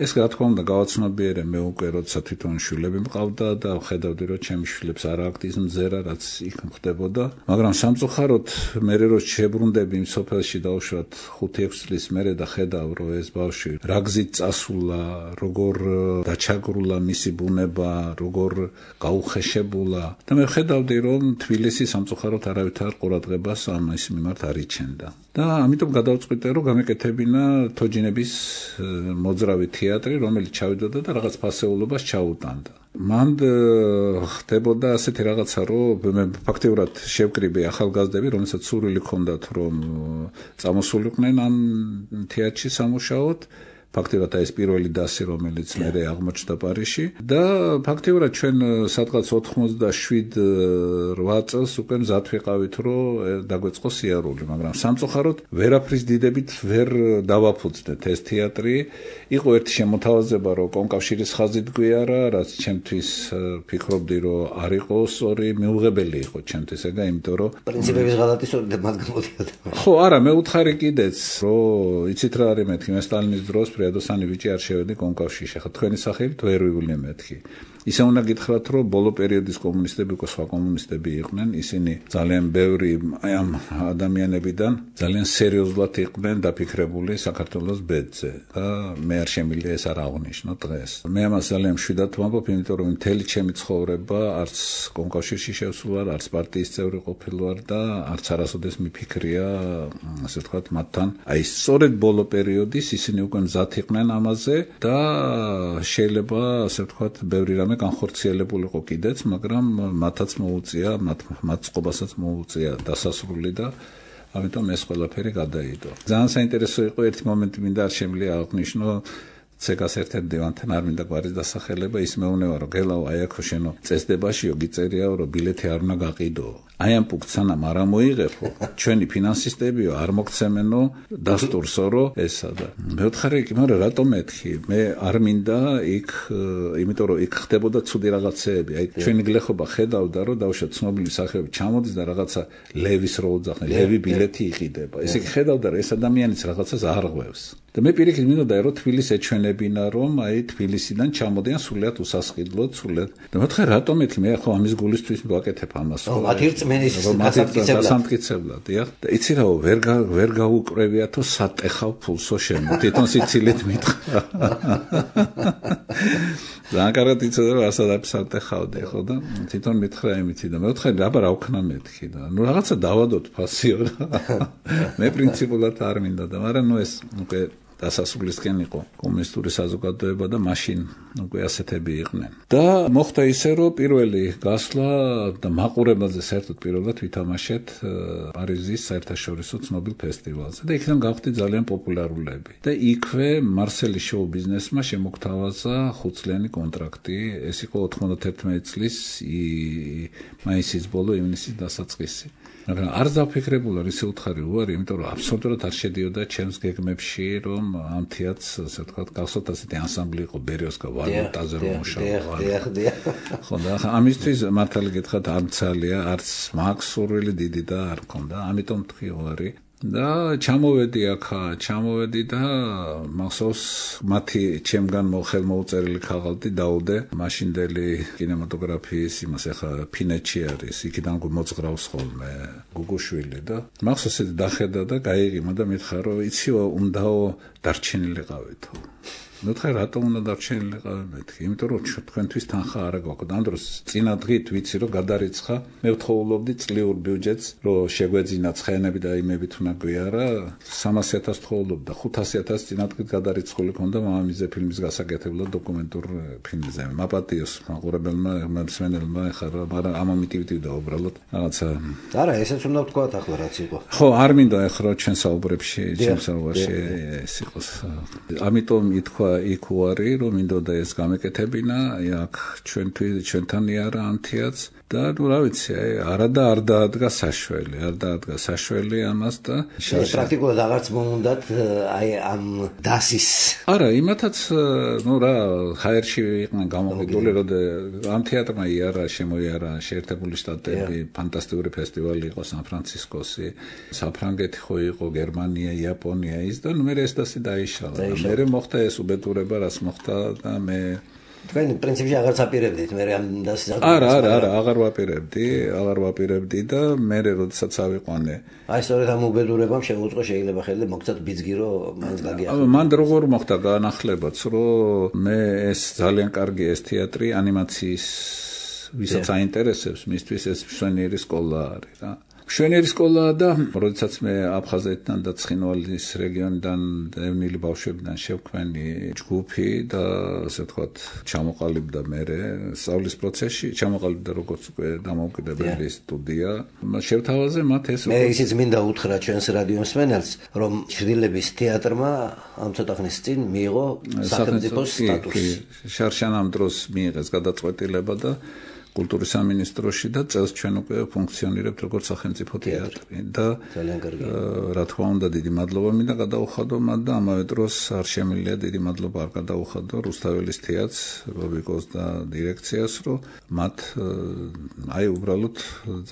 Speaker 2: ეს რა თქმა უნდა გავაცნობიერე მე უკვე როცა თვითონ შვილები მყავდა და ხედავდი რომ ჩემი შვილებს არ აქვს ის მზერა რაც იქ ხდებოდა მაგრამ სამწუხაროდ მე რო შებრუნდები იმ სოფელში დაუშვათ ხუთი ექვსი წლის მერე და ხედავ რომ ეს ბავშვი რა გზით წასულა როგორ დაჩაგრულა მისი ბუნება როგორ გაუხეშებულა და მე ხედავდი რომ თბილისი სამწუხაროდ არავითარ ყურადღებას ამის მიმართ არ იჩენდა და ამიტომ გადავწყვიტე რომ გამეკეთებინა თოჯინების მოძრავი თეატრი რომელიც ჩავიდოდა და რაღაც ფასეულობას ჩაუტანდა მან ხდებოდა ასეთი რაღაცა რომ მე ფაქტიურად შევკრიბე ახალგაზრდები რომელსაც სურვილი ჰქონდათ რომ წამოსულიყვნენ ამ თეატრში სამუშაოდ ფაქტიურად ეს პირველი დასი რომელიც მე აღმოჩნდა პარიზში და ფაქტიურად ჩვენ სადღაც ოთხმოცდაშვიდ რვა წელს უკვე მზად ვიყავით რომ დაგვეწყოს სიარული მაგრამ სამწუხაროდ ვერაფრის დიდებით ვერ დავაფუძნეთ ეს თეატრი იყო ერთი შემოთავაზება რომ კონკავშირის ხაზით გვიარა რაც ჩემთვის ფიქრობდი რომ არ იყო სწორი მიუღებელი იყო ჩემთვის ეგა იმიტომ რომ
Speaker 1: პრინციპების ღალატისობით მათ გამოდიოდა
Speaker 2: ხო არა მე უთხარი კიდეც რომ იცით რა არის მეთქი მე სტალინის დროს Ედოსანი ვიჭი არ შევედი კონკავშირში. ხა თქვენი სახელით ვერ ვივლი მეთქი. ისე უნდა გითხრათ, რომ ბოლო პერიოდის კომუნისტები უკვე სხვა კომუნისტები იყვნენ, ისინი ძალიან ბევრი ამ ადამიანებიდან ძალიან სერიოზულად იყვნენ დაფიქრებული საქართველოს ბედზე. და მე არ შემიძლია ეს არ აღვნიშნო დღეს. მე ამას ძალიან მშვიდად ვამბობ, იმიტომ რომ მთელი ჩემი ცხოვრება არც კონკავშირში შევსულ არც პარტიის წევრი ყოფილ ვარ და არც არასოდეს მიფიქრია, ასე ვთქვათ, მათთან. აი სწორედ ბოლო პერიოდის ისინი უკვე მზად იყვნენ ამაზე და შეიძლება ასე ვთქვათ, ბევრი რამე განხორციელებულიყო კიდეც, მაგრამ მათაც მოუწია, მათ მათ წყობასაც მოუწია დასასრული და ამიტომ ეს ყველაფერი გადაიდო. ძალიან საინტერესო იყო ერთი მომენტი, მინდა არ შემიძლია აღვნიშნო ცეკას ერთ-ერთ დევანთან არ მინდა გვარის დასახელება, ის მეუბნება რომ გელაო აი აქ შენო წესდებაშიო გიწერიაო რომ ბილეთი არ უნდა გაყიდო. აი ამ პუნქტსანამ არ მოიღებო, ჩვენი ფინანსისტებიო არ მოგცემენო დასტურსო რომ ესა და მეუთხარი კი მაგრამ რატომ მეთქი? მე არ მინდა იქ, იმიტომ რომ იქ ხდებოდა ცუდი რაღაცეები. აი ჩვენი გლეხობა ხედავდა რომ დავუშვათ ცნობილი მსახიობი ჩამოდის და რაღაცა ლევის რო უძახნე, ლევი ბილეთი იყიდება. ესე იგი ხედავდა რომ ეს ადამიანიც რაღაცას არღვევს. და მე პირიქით მინდოდა რომ თბილისს ეჩვენებინა რომ აი თბილისიდან ჩამოდიან სულიად უსასყიდლოდ სულიად და მეთხარ რატომ ეთქი მე ხო ამის გულისთვის ვაკეთებ ამას
Speaker 1: ხო მათი რწმენის
Speaker 2: გასამტკიცებლად დიახ და იცი რა ვერ ვერ გაუკრევიათო სატეხავ ფულსო შემო თვითონ სიცილით მითხრა ძალიან კარგად იცოდა რომ ასადაც სატეხავდი ხო და თვითონ მითხრა იმითი და მეთხარ აბა რა ვქნა მეთქი და ნუ რაღაცა დავადოთ ფასიო მე პრინციპულად არ მინდა და მაგრამ ნუ ეს უკვე დასასრულისკენ იყო კომუნისტური საზოგადოება და მაშინ უკვე ასეთები იყვნენ. და მოხდა ისე რომ პირველი გასვლა და მაყურებელზე საერთოდ პირველად ვითამაშეთ პარიზის საერთაშორისო ცნობილ ფესტივალზე და იქიდან გავხდი ძალიან პოპულარულები. და იქვე მარსელის შოუ ბიზნესმა შემოგთავაზა ხუთწლიანი კონტრაქტი. ეს იყო ოთხმოცდაერთმეტი წლის მაისის ბოლო ივნისის დასაწყისი. მაგრამ არ დავფიქრებულა ისე უთხარი უარი, იმიტომ რომ აბსოლუტურად არ შედიოდა ჩემს გეგმებში, რომ ამ თეატრს, ასე ვთქვათ, გახსოვთ ასეთი ანსამბლი იყო ბერიოსკა ვალუტაზე რომ მუშაობა.
Speaker 1: დიახ, დიახ.
Speaker 2: ხო და ამისთვის მართალი გითხრათ არ მცალია, არც მაქვს სურვილი დიდი და არ მქონდა, ამიტომ თქვი უარი. და ჩამოვედი აქა, ჩამოვედი და მახსოვს მათი ჩემგან ხელმოუწერილი ქაღალდი დაუდე მაშინდელი კინემატოგრაფიის იმას ახლა ფინეთში არის, იქიდან მოძღრავს ხოლმე გუგუშვილი და მახსოვს ეს დახედა და გაიღიმა და მითხრა რომ იციო უნდაო დარჩენილიყავითო. მეთხარ რატომ უნდა დარჩენილიყავ მეთქი? იმიტომ რომ თქვენთვის თანხა არ გაქვთ. ამ დროს წინა დღით ვიცი რომ გადარიცხა. მე ვთხოვლობდი წლიურ ბიუჯეტს, რომ შეგვეძინა ცხენები და იმებით უნდა გვიარა. სამასი ათასი ვთხოვლობდი და ხუთასი ათასი წინა დღით გადარიცხული ქონდა მამამისზე ფილმის გასაკეთებლად დოკუმენტურ ფილმზე. მაპატიოს მაყურებელმა, მსმენელმა ეხლა მაგრამ ამომიტივდივდა უბრალოდ რაღაცა.
Speaker 1: არა, ესეც უნდა ვთქვა ახლა რაც იყო.
Speaker 2: ხო, არ მინდა ეხლა ჩვენ საუბრებში, ჩვენ საუბარში ეს იყოს. ამიტომ ითქვა იქ უარი რომ მინდოდა ეს გამეკეთებინა, აქ ჩვენთვის ჩვენთან იარა ამ თეატრს და ნუ რა ვიცი, აი არა და არ დაადგა საშველი, არ დაადგა საშველი ამას და
Speaker 1: პრაქტიკულად აღარც მომუნდათ აი ამ დასის.
Speaker 2: არა, იმათაც ნუ რა ჰაერში იყვნენ გამოვიდული, რომ ამ თეატრმა იარა, შემოიარა შეერთებული შტატები, ფანტასტიკური ფესტივალი იყო სან-ფრანცისკოსი, საფრანგეთი ხო იყო, გერმანია, იაპონია ის და ნუ მე ეს დასი დაიშალა. მე მოხდა ეს უბედურება, რაც მოხდა და მე
Speaker 1: თქვენ პრინციპში აღარც აპირებდით მე ამ დასის.
Speaker 2: არა, არა, არა, აღარ ვაპირებდი, აღარ ვაპირებდი და მე როდესაც ავიყვანე.
Speaker 1: აი სწორედ ამ უბედურებამ შეუწყო შეიძლება ხელზე მოგცათ ბიძგი რომ მაინც გაგიახლა.
Speaker 2: მან როგორ მოხდა განახლებაც, რომ მე ეს ძალიან კარგი ეს თეატრი ანიმაციის ვისაც აინტერესებს, მისთვის ეს მშვენიერი სკოლა არის რა. მშვენიერი სკოლა და როდესაც მე აფხაზეთიდან და ცხინვალის რეგიონიდან ევნილი ბავშვებიდან შევქმენი ჯგუფი და ასე ვთქვათ ჩამოყალიბდა მე სწავლის პროცესში, ჩამოყალიბდა როგორც უკვე დამოუკიდებელი სტუდია. შევთავაზე მათ ეს
Speaker 1: მე ისიც მინდა უთხრა ჩვენს რადიო მსმენელს, რომ ჩრდილების თეატრმა ამ ცოტა ხნის წინ მიიღო სახელმწიფოს სტატუსი.
Speaker 2: შარშან ამ დროს მიიღეს გადაწყვეტილება და კულტურის სამინისტროში და წელს ჩვენ უკვე ფუნქციონირებთ როგორც სახელმწიფო თეატრი და რა თქმა უნდა დიდი მადლობა მინდა გადაუხადო მათ და ამავე დროს არ შემიძლია დიდი მადლობა არ გადაუხადო რუსთაველის თეატრს, ბობიკოს და დირექციას, რომ მათ აი უბრალოდ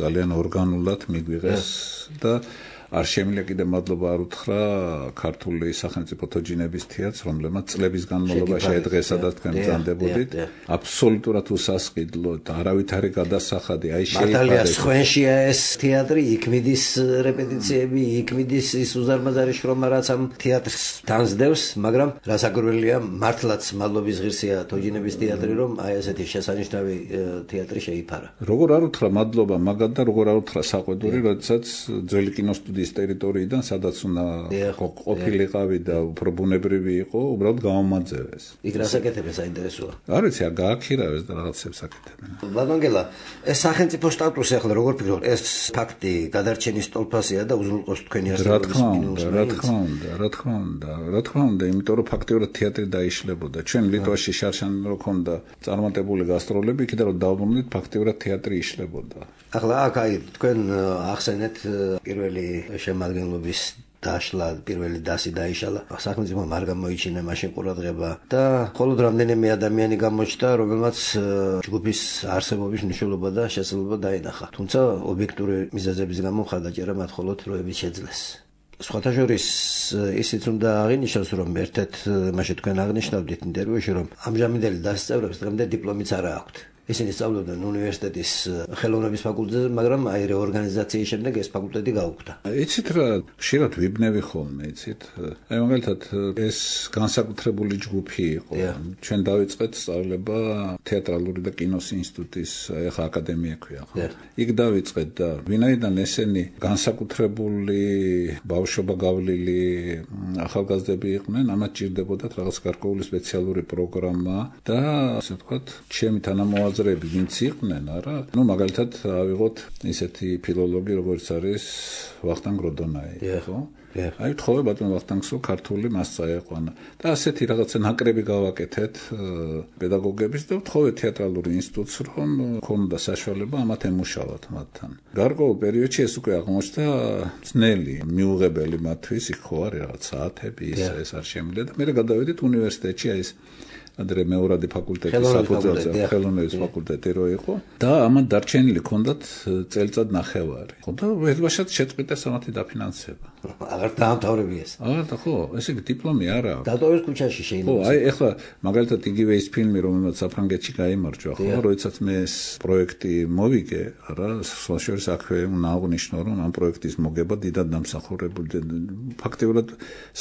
Speaker 2: ძალიან ორგანულად მიგვიღეს და არ შემიძლია კიდე მადლობა არ უთხრა ქართული სახელმწიფო თოჯინების თეატრს, რომლებმაც წლების განმავლობაში ეძღესა და თქვენ ბრძანდებოდით. აბსოლუტურად უსასყიდლო და არავითარი გადასახადი. აი
Speaker 1: შეიფარა. მართალია სხვენშია ეს თეატრი, იქ მიდის რეპეტიციები, იქ მიდის ის უზარმაზარი შრომა, რაც ამ თეატრს თანსდევს, მაგრამ რასაკვირველია, მართლაც მადლობის ღირსია თოჯინების თეატრი, რომ აი ესეთი შესანიშნავი თეატრი შეიფარა.
Speaker 2: როგორ არ უთხრა მადლობა მაგათ და როგორ არ უთხრა საყვედური, როდესაც ძველი კინოსტუდიის ტერიტორიიდან, სადაც უნდა ყოფილიყავი და უფრო ბუნებრივი იყო, უბრალოდ გამომაძევეს.
Speaker 1: იქ რას აკეთებენ საინტერესოა?
Speaker 2: არ ვიცი, გააქირავეს და რაღაცებს აკეთებენ.
Speaker 1: ბატონგელა, ეს სახელმწიფო სტატუსი ახლა როგორ ფიქრობთ? ეს ფაქტი გადარჩენის სტოლფასია და უზრუნველყოფს თქვენი
Speaker 2: არსებობის მინიმუმს. რა თქმა უნდა, რა თქმა უნდა, რა თქმა უნდა, იმიტომ რომ ფაქტიურად თეატრი დაიშლებოდა. ჩვენ ლიტვაში შარშან რო ქონდა წარმატებული გასტროლები, იქიდან რომ დავბრუნდით, ფაქტიურად თეატრი იშლებოდა.
Speaker 1: ახლა აქ აი თქვენ ახსენეთ პირველი შემადგენლობის დაშლა, პირველი დასი დაიშალა. სახელმწიფო არ გამოიჩინა მაშინ ყურადღება და მხოლოდ რამდენიმე ადამიანი გამოჩნდა, რომელმაც ჯგუფის არსებობის მნიშვნელობა და შესაძლებლობა დაინახა. თუმცა ობიექტური მიზეზების გამო მხარდაჭერა მათ მხოლოდ დროებით შეძლეს. სხვათა შორის ისიც უნდა აღინიშნოს, რომ ერთ-ერთ მაშინ თქვენ აღნიშნავდით ინტერვიუში, რომ ამჟამინდელი დასის წევრებს დღემდე დიპლომიც არა აქვთ. ისინი სწავლობდნენ უნივერსიტეტის ხელოვნების ფაკულტეტზე, მაგრამ აი რეორგანიზაციის შემდეგ ეს ფაკულტეტი გაუქმდა.
Speaker 2: იცით რა, ხშირად ვიბნევი ხოლმე, იცით? აი მაგალითად ეს განსაკუთრებული ჯგუფი იყო. ჩვენ დავიწყეთ სწავლება თეატრალური და კინოს ინსტიტუტის, ახლა აკადემია ქვია, ხო? იქ დავიწყეთ და ვინაიდან ესენი განსაკუთრებული ბავშვობა გავლილი ახალგაზრდები იყვნენ, ამათ ჭირდებოდათ რაღაც გარკვეული სპეციალური პროგრამა და ასე ვთქვათ, ჩემი თანამოაზრე ვინც იყვნენ, არა? ნუ მაგალითად ავიღოთ ისეთი ფილოლოგი, როგორც არის ვახტანგ როდონაი, ხო? აი თხოვე ბატონ ვახტანგსო ქართული მასწა ეყვანა. და ასეთი რაღაცა ნაკრები გავაკეთეთ პედაგოგების და თხოვე თეატრალური ინსტიტუტს, რომ ქონდა საშუალება ამათ ემუშავათ მათთან. გარკვეულ პერიოდში ეს უკვე აღმოჩნდა ძნელი, მიუღებელი მათთვის, იქ ხო არის რაღაც საათები, ის ეს არ შემიძლია და მე გადავედით უნივერსიტეტში აი ეს ადრე მეორადი ფაკულტეტი საფუძველზე ხელოვნების ფაკულტეტი რო იყო და ამან დარჩენილი ჰქონდათ წელიწად ნახევარი. ხო და ვერბაშად შეწყვიტეს ამათი დაფინანსება.
Speaker 1: აღარ დაამთავრებიეს.
Speaker 2: აა და ხო, ესე იგი დიპლომი არა აქვს.
Speaker 1: დატოვეს ქუჩაში შეიძლება.
Speaker 2: ხო, აი ეხლა მაგალითად იგივე ის ფილმი, რომელსაც საფრანგეთში გაიმარჯვა, ხო, როდესაც მე ეს პროექტი მოვიგე, არა, სოციალურ საქმე უნდა აღნიშნო, რომ ამ პროექტის მოგება დიდად დამსახურებული, ფაქტიურად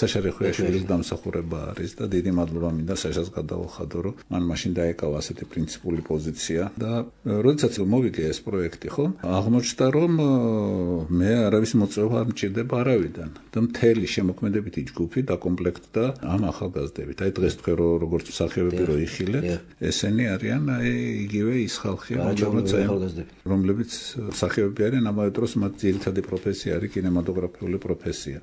Speaker 2: საშა ხვიაშვილის დამსახურება არის და დიდი მადლობა მინდა საშას გადაუხადო, რომ მან მაშინ დაეკავა ასეთი პრინციპული პოზიცია და როდესაც მოვიგე ეს პროექტი, ხო, აღმოჩნდა, რომ მე არავის მოწვევა არ მჭირდება არავის და მთელი შემოქმედებითი ჯგუფი დაკომპლექტდა ამ ახალგაზრდებით. აი დღეს თქვენ როგორც მსახიობები რო იხილეთ, ესენი არიან აი იგივე ის ხალხი, რომლებიც მსახიობები არიან, ამავე დროს მათ ძირითადი პროფესია არის კინემატოგრაფიული პროფესია.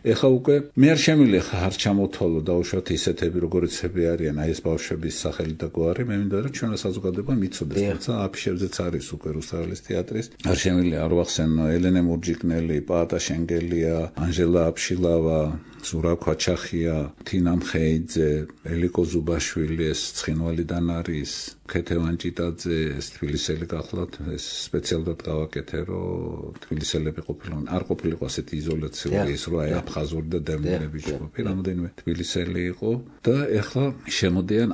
Speaker 2: ეხლა უკვე მე არ შემიძლია ხარ ჩამოთვალო დაუშვათ ისეთები როგორიცები არიან აი ეს ბავშვების სახელი და გვარი მე მინდა რომ ჩვენ საზოგადოება მიცოდეს თუმცა აფიშებზეც არის უკვე რუსთაველის თეატრის არ შემიძლია არ ვახსენო ელენე მურჯიკნელი პაატა შენგელია ანჟელა აფშილავა ზურაბ ქვაჩახია თინა მხეიძე ელიკო ზუბაშვილი ეს ცხინვალიდან არის ქეთევან ჭიტაძე ეს თბილისელი გახლავთ ეს სპეციალურად გავაკეთე რომ თბილისელები ყოფილიყო არ ყოფილიყო ასეთი იზოლაციური ის რომ აი აფხაზური და დევნილები ჯგუფი რამოდენიმე თბილისელი იყო და ეხლა შემოდიან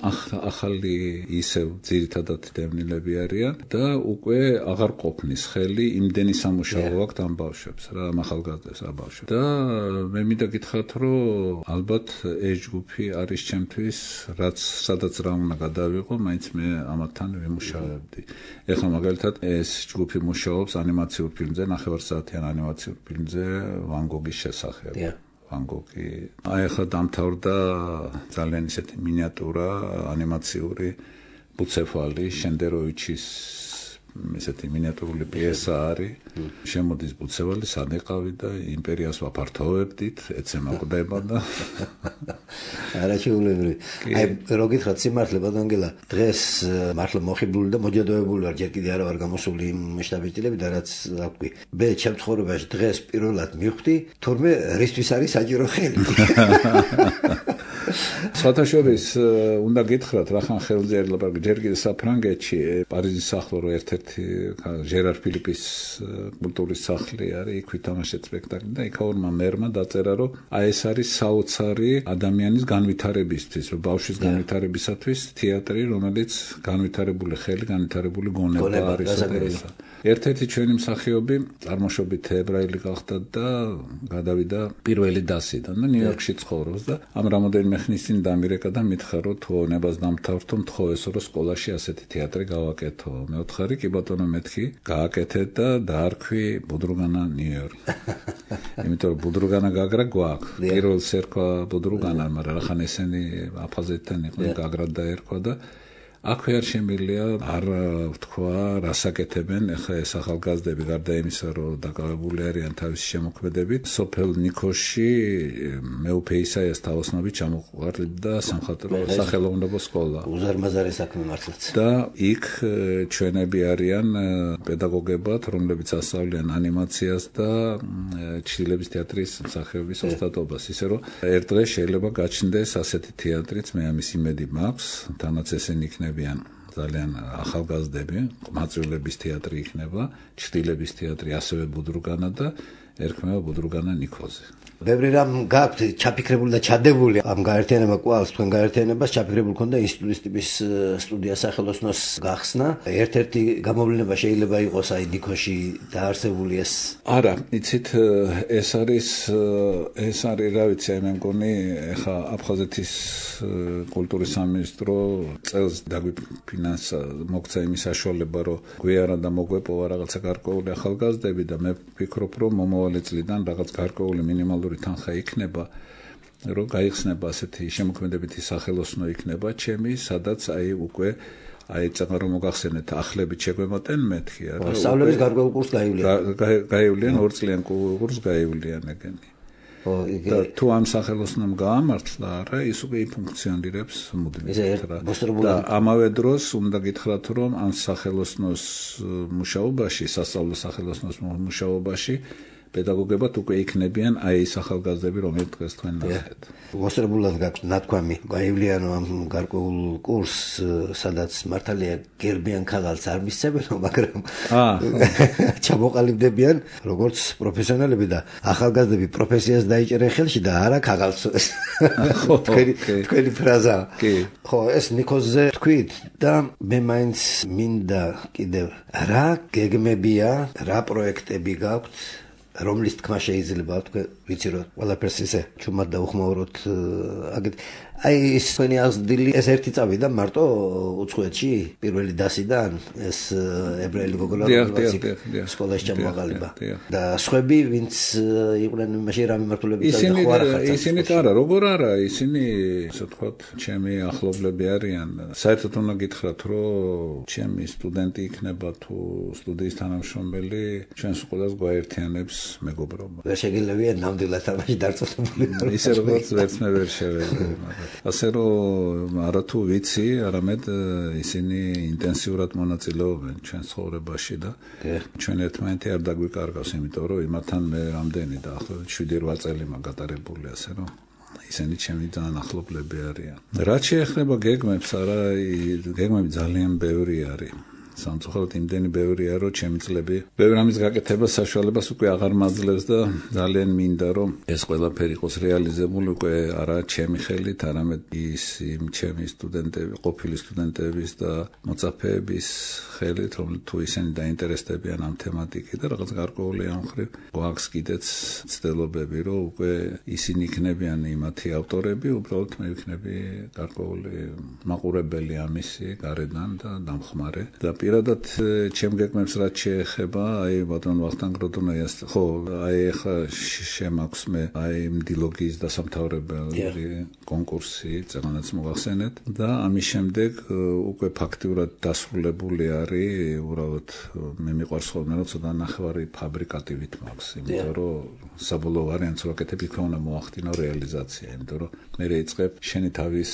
Speaker 2: ახალი ისევ ძირითადად დევნილები არიან და უკვე აღარ ყოფნის ხელი იმდენი სამუშაო აქვს ამ ბავშვებს რა ახალგაზრდებს რა ბავშვებს და მე მინდა გითხრათ რომ ალბათ ეს ჯგუფი არის ჩემთვის რაც სადაც რა უნდა გადავიყო მაინც მე ამათთან ვიმუშავებდი. ეხლა მაგალითად ეს ჯგუფი მუშაობს ანიმაციურ ფილმზე, ნახევარსაათიან ანიმაციურ ფილმზე ვან გოგის შესახებ. ვან გოგი. აი ახლა დამთავრდა ძალიან ისეთი მინიატურა ანიმაციური ბუცეფალი შენდეროვიჩის ესეთი მინიატურული პიესა არის. შემოდის ბუცევალი სადეყავი და იმპერიას ვაფართოვებდით, ეცემა ყდება და
Speaker 1: არა შეულებრივი. აი რო გითხრათ სიმართლე ბატონგელა, დღეს მართლა მოხიბლული და მოჯადოებული ვარ, ჯერ კიდე არა ვარ გამოსული იმ შტაბის-დილები და რაც აკვი. მე ჩემ ცხოვრებაში დღეს პირველად მივხვდი, თურმე რისთვის არის საჭირო ხელი.
Speaker 2: საერთაშორის უნდა გითხრათ რახან ხელზე არ ლაპარაკი ჯერ კიდე საფრანგეთში პარიზის ახლო რო ერთ-ერთი ჟერარ ფილიპის კულტურის სახლი არის იქ ვითამაშეთ სპექტაკლი და იქაურმა მერმა დაწერა რომ აი ეს არის საოცარი ადამიანის განვითარებისთვის რომ ბავშვის განვითარებისათვის თეატრი რომელიც განვითარებული ხელი განვითარებული გონება არის ერთ-ერთი ჩვენი მსახიობი წარმოშობით ებრაელი გახდა და გადავიდა პირველი დასიდან და ნიუ-იორკში ცხოვრობს და ამ რამოდენიმე ხნის წინ დამირეკა და მითხრა რომ თუ ონებას დამთავრდო მთხოვესო რომ სკოლაში ასეთი თეატრი გავაკეთო მე ვთხარი კი ბატონო მეთქი გააკეთე და დაარქვი ბუდრუგანა ნიუ-იორკი იმიტომ რომ ბუდრუგანა გაგრა გვაქვს პირველ სერქვა ბუდრუგანა მაგრამ ახან ესენი აფხაზეთთან იყვნენ გაგრა დაერქვა და აქვე არ შემიძლია არ ვთქვა რასაკეთებენ ახლა ეს ახალგაზრდები გარდა იმისა რომ დაკავებული არიან თავისი შემოქმედებით სოფელ ნიქოში მეუფე ისაიას თაოსნობით ჩამოყვარდა სამხატვრო სახელოვნებო სკოლა
Speaker 1: უზარმაზარი საქმე მართლაც
Speaker 2: და იქ ჩვენები არიან პედაგოგებად რომლებიც ასწავლიან ანიმაციას და ჩრდილების თეატრის მსახიობის ოსტატობას ისე რომ ერთ დღეს შეიძლება გაჩნდეს ასეთი თეატრიც მე ამის იმედი მაქვს თანაც ესენი იქნება ძალიან ახალგაზრდები, ყმაწვილების თეატრი იქნება, ჩრდილების თეატრი ასევე ბუდრუგანა და ერქმევა ბუდრუგანა ნიქოზე.
Speaker 1: ბევრი რამ გაქვთ ჩაფიქრებული და ჩადებული ამ გაერთიანება კვალს თქვენ გაერთიანებას ჩაფიქრებული ქონდა ინსტიტუტის ტიპის სტუდია სახელოსნოს გახსნა. ერთ-ერთი გამოვლენა შეიძლება იყოს აი ნიქოში დაარსებული ეს.
Speaker 2: არა, იცით ეს არის ეს არის რა ვიცი აი მე მგონი ეხა აფხაზეთის კულტურის სამინისტრო წელს დაგვიფინანსა მოგცა იმის საშუალება რომ გვიარა და მოგვეპოვა რაღაცა გარკვეული ახალგაზრდები და მე ვფიქრობ რომ მომავალი წლიდან რაღაც გარკვეული მინიმალური თანხა იქნება რომ გაიხსნება ასეთი შემოქმედებითი სახელოსნო იქნება ჩემი სადაც აი უკვე აი წაღა რომ მოგახსენეთ ახლებით შეგვემატენ მეთქი არა
Speaker 1: სწავლების გარკვეულ კურსს გაივლიან
Speaker 2: გაივლიან ორ წლიან კურსს გაივლიან ეგენი და თუ ამ სახელოსნომ გაამართლა არა ის უკვე ფუნქციონირებს მუდმივად რა და ამავე დროს უნდა გითხრათ რომ ამ სახელოსნოს მუშაობაში სასწავლო სახელოსნოს მუშაობაში პედაგოგებად უკვე იქნებიან აი ეს ახალგაზრდები რომელიც დღეს თქვენ ნახეთ.
Speaker 1: მოსწრებულად გაქვთ ნათქვამი გაივლიანო ამ გარკვეულ კურსს სადაც მართალია გერბიან ქაღალდს არ მისცემენ მაგრამ ჩამოყალიბდებიან როგორც პროფესიონალები და ახალგაზრდები პროფესიას დაიჭერენ ხელში და არა ქაღალდს. თქვენი თქვენი ფრაზა. ხო ეს ნიქოზზე თქვით და მე მაინც მინდა კიდევ რა გეგმებია რა პროექტები გაქვთ რომლის თქმა შეიძლება თქვენ ვიცი რომ ყველაფერს ისე ჩუმად დაუხმაუროთ აგეთ აი ეს თქვენი აღზრდილი ეს ერთი წავიდა მარტო უცხოეთში პირველი დასიდან ეს ებრაელი გოგონა სკოლაში ჩამოაყალიბა და სხვები ვინც იყვნენ იმაში რა მიმართულებით და ხო არა ხართ
Speaker 2: ისინი არა როგორ არა ისინი ასე ვთქვათ ჩემი ახლობლები არიან საერთოდ უნდა გითხრათ რომ ჩემი სტუდენტი იქნება თუ სტუდიის თანამშრომელი ჩვენს სკოლას გვაერთიანებს მეგობრობა.
Speaker 1: ვერ შეგიძლია ნამდვილად ამაში დარწმუნებული ვარ.
Speaker 2: ისე როგორც ვერც მე ვერ შევეძლო, მაგრამ ასე რომ არა თუ ვიცი, არამედ ისინი ინტენსიურად მონაწილეობენ ჩვენ ცხოვრებაში და ჩვენ ერთმანეთი არ დაგვიკარგავს, იმიტომ რომ იმათთან მე რამდენი და ახლა შვიდი რვა წელი მაგატარებული, ასე რომ ისინი ჩემი ძალიან ახლობლები არიან. რაც შეეხება გეგმებს, არა, გეგმები ძალიან ბევრი არის. სამწუხაროდ იმდენი ბევრია, რომ ჩემი წლები ბევრ ამის გაკეთებას საშუალებას უკვე აღარ მაძლევს და ძალიან მინდა, რომ ეს ყველაფერი იყოს რეალიზებული უკვე არა ჩემი ხელით, არამედ ის იმ ჩემი სტუდენტები, ყოფილი სტუდენტების და მოწაფეების ხელით, რომ თუ ისინი დაინტერესდებიან ამ თემატიკით და რაღაც გარკვეული ამ ხრივ გვაქვს კიდეც ცდილობები, რომ უკვე ისინი იქნებიან იმათი ავტორები, უბრალოდ მე ვიქნები გარკვეული მაყურებელი ამისი გარედან და დამხმარე და პირადად ჩემ გეგმებს რაც შეეხება, აი ბატონ ვახტანგ როდონოიას, ხო, აი ახლა შემაქვს მე აი მდილოგიის დასამთავრებელი კონკურსი, წეგანაც მოგახსენეთ და ამის შემდეგ უკვე ფაქტიურად დასრულებული არის, უბრალოდ მე მიყვარს ხოლმე რომ ცოტა ნახევარი ფაბრიკატივით მაქვს, იმიტომ რომ საბოლოო ვარიანტს ვაკეთებ, იქ უნდა მოახდინო რეალიზაცია, იმიტომ რომ მე რეიწყებ შენი თავის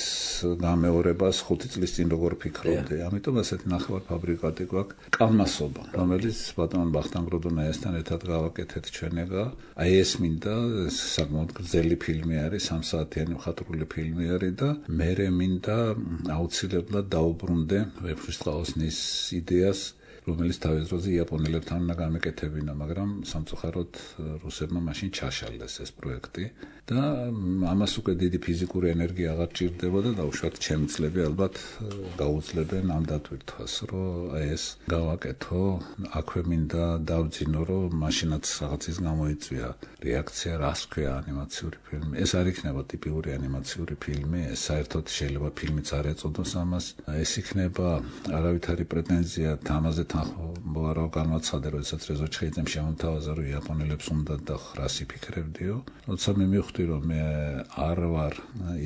Speaker 2: გამეორებას ხუთი წლის წინ როგორ ფიქრობდი, ამიტომ ასეთი ნახევარ ფაბრიკატი გვაქვს კალმასობა, რომელიც ბატონ ვახტანგ როდონოიასთან ერთად გავაკეთეთ ჩვენეგა. აი ეს მინდა საკმაოდ გრძელი ფილმი არის, სამ საათიანი მხატვრული ფილმი არის და მე მინდა აუცილებლად დაუბრუნდე ვეფხისტყაოსნის იდეას, რომელიც თავის დროზე იაპონელებთან უნდა გამეკეთებინა, მაგრამ სამწუხაროდ რუსებმა მაშინ ჩაშალეს ეს პროექტი და ამას უკვე დიდი ფიზიკური ენერგია აღარ ჭირდებოდა და უშუალოდ ჩემი წლები ალბათ გაუძლებენ ამ დატვირთვას, რომ აი ეს გავაკეთო, აქვე მინდა დავძინო, რომ მაშინაც რაღაცის გამოიწვია რეაქცია, რას ქვია ანიმაციური ფილმი. ეს არ იქნება ტიპიური ანიმაციური ფილმი, ეს საერთოდ შეიძლება ფილმიც არ ეწოდოს ამას. ეს იქნება არავითარი პრეტენზია ამაზე თანხმობა რა განვაცხადე, როდესაც რეზო ჩხეიძემ შემომთავაზა, რომ იაპონელებს უნდა და რას იფიქრებდიო. როცა მე მივხვდი, რომ მე არ ვარ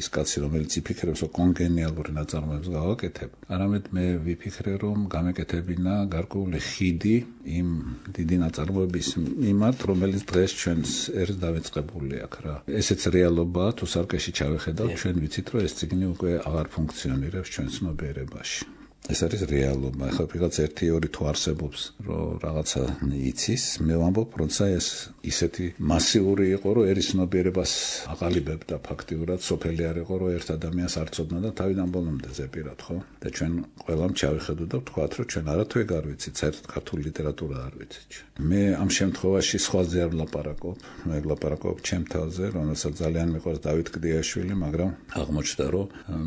Speaker 2: ის კაცი, რომელიც იფიქრებს, რომ კონგენიალური ნაწარმოებს გავაკეთებ, არამედ მე ვიფიქრე, რომ გამეკეთებინა გარკვეული ხიდი იმ დიდი ნაწარმოების მიმართ, რომელიც დღეს ჩვენს ერს დავიწყებული აქვს რა. ესეც რეალობაა, თუ სარკეში ჩავეხედავთ, ჩვენ ვიცით, რომ ეს წიგნი უკვე აღარ ფუნქციონირებს ჩვენ ცნობიერებაში. ეს არის რეალობა. ახლა ვიღაც ერთი ორი თუ არსებობს, რომ რაღაცა იცის, მე ვამბობ, როცა ეს ისეთი მასიური იყო, რომ ერის ცნობიერებას აყალიბებდა ფაქტიურად, სოფელი არ იყო, რომ ერთ ადამიანს არ ცოდნა და თავიდან ბოლომდე ზეპირად, ხო? და ჩვენ ყველამ ჩავიხედო და ვთქვათ, რომ ჩვენ არათუ ეგ არ ვიცით, საერთოდ ქართული ლიტერატურა არ ვიცით. მე ამ შემთხვევაში სხვაზე არ ვლაპარაკობ, მე ვლაპარაკობ ჩემ თავზე, რომელსაც ძალიან მიყვარს დავით კლდიაშვილი, მაგრამ აღმოჩნდა, რომ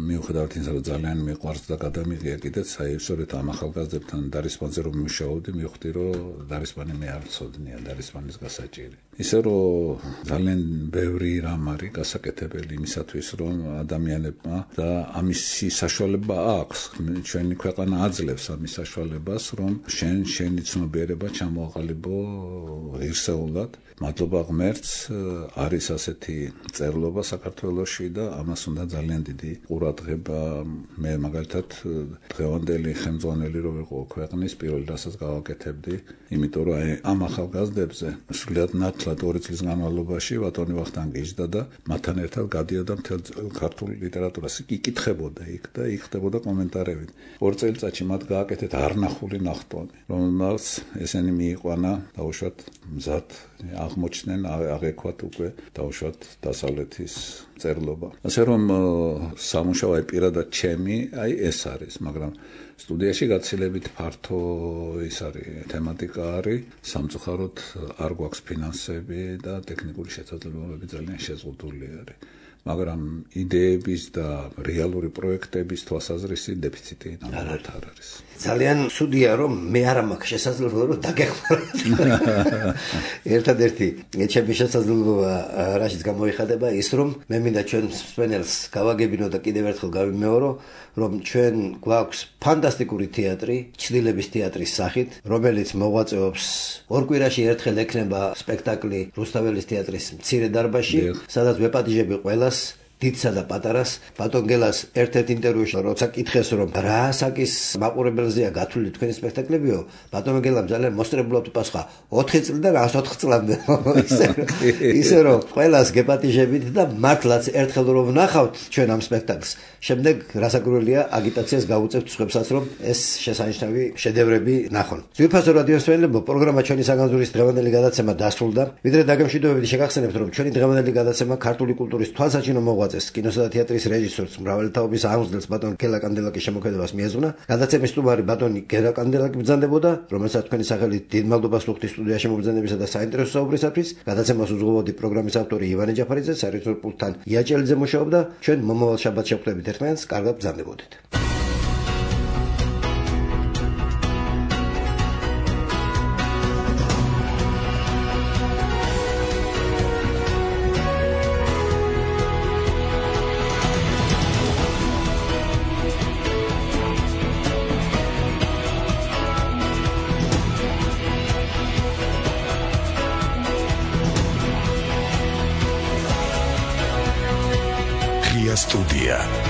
Speaker 2: მიუხედავად იმისა, რომ ძალიან მიყვარს და გადამიღია კიდე აი სწორედ ამ ახალგაზრდებთან დარისპანზე რომ მუშაობდი, მივხვდი, რომ დარისპანი მე არ ვცოდნია, დარისპანის გასაჭირი. ისე რომ ძალიან ბევრი რამ არის გასაკეთებელი იმისათვის, რომ ადამიანებმა და ამისი საშუალება აქვს, ჩვენი ქვეყანა აძლევს ამის საშუალებას, რომ შენ შენი ცნობიერება ჩამოაყალიბო ღირსეულად. მადლობა ღმერთს, არის ასეთი წერლობა საქართველოში და ამას უნდა ძალიან დიდი ყურადღება. მე მაგალითად დღევანდელი ხელმძღვანელი რო ვიყო ქვეყნის, პირველ რასაც გავაკეთებდი, იმიტომ რომ აი ამ ახალგაზრდებზე სრულიად ნათლად ორი წლის განმავლობაში ბატონი ვახტანგი იჯდა და მათთან ერთად გადიოდა მთელ ქართულ ლიტერატურას. იკითხებოდა იქ და იქ ხდებოდა კომენტარები. ორ წელიწადში მათ გააკეთეთ არნახული ნახტომი, რომელსაც ესენი მიიყვანა დაუშვათ მზად აღმოჩნდნენ, აღექვათ უკვე დაუშვათ დასავლეთის წერლობა. ასე რომ სამუშაო აი პირადად ჩემი, აი ეს არის, მაგრამ სტუდიაში გაცილებით ფართო ის არის, თემატიკა არის, სამწუხაროდ არ გვაქვს ფინანსები და ტექნიკური შესაძლებლობები ძალიან შეზღუდული არის. მაგრამ იდეების და რეალური პროექტების თვალსაზრისით დეფიციტი ნამდვილად არ არის.
Speaker 1: ძალიან ცუდია, რომ მე არ მაქვს შესაძლებლობა რომ დაგეხმაროთ. ერთადერთი ჩემი შესაძლებლობა რაშიც გამოიხადება ის, რომ მე მინდა ჩვენ მსმენელს გავაგებინო და კიდევ ერთხელ გავიმეორო, რომ ჩვენ გვაქვს ფანტასტიკური თეატრი, ჩრდილების თეატრის სახით, რომელიც მოღვაწეობს ორ კვირაში ერთხელ ექნება სპექტაკლი რუსთაველის თეატრის მცირე დარბაზში, სადაც ვეპატიჟები ყველას დიდსა და პატარას. ბატონ გელას ერთ-ერთ ინტერვიუში როცა კითხეს რომ რა ასაკის მაყურებელზეა გათვლილი თქვენი სპექტაკლებიო, ბატონ გელამ ძალიან მოსწრებულად უპასუხა ოთხი წლიდან ათოთხ წლამდე. ისე ისე რომ ყველას გეპატიჟებით და მართლაც ერთხელ რომ ვნახავთ ჩვენ ამ სპექტაკლს, შემდეგ რასაკვირველია აგიტაციას გავუწევთ სხვებსაც რომ ეს შესანიშნავი შედევრები ნახონ. ძვირფასო რადიოსმენელებო, პროგრამა ჩვენი საგანძურის დღევანდელი გადაცემა დასრულდა. ვიდრე დაგემშვიდობებით შეგახსენებთ რომ ჩვენი დღევანდელი გადაცემა ქართული კულტურის თვალსაჩინო მოღვაწეს, კინოსა და თეატრის რეჟისორს, მრავალი თაობის აღმზრდელს ბატონ გელა კანდელაკის შემოქმედებას მიეძღვნა. გადაცემის სტუმარი ბატონი გელა კანდელაკი ბრძანდებოდა, რომელსაც თქვენი სახელით დიდ მადლობას ვუხდით სტუდიაში მობრძანებისა და საინტერესო საუბრისათვის. გადაცემას უძღვებოდი პროგრამის ავტორი ივანე ჯაფარიძე, სარიცხნო პულტთან იაჭელიძე მუშაობდა. ჩვენ მომავალ შაბათს შევხვდებით ერთმანეთს, კარგად ბრძანდებოდეთ.
Speaker 5: Studia.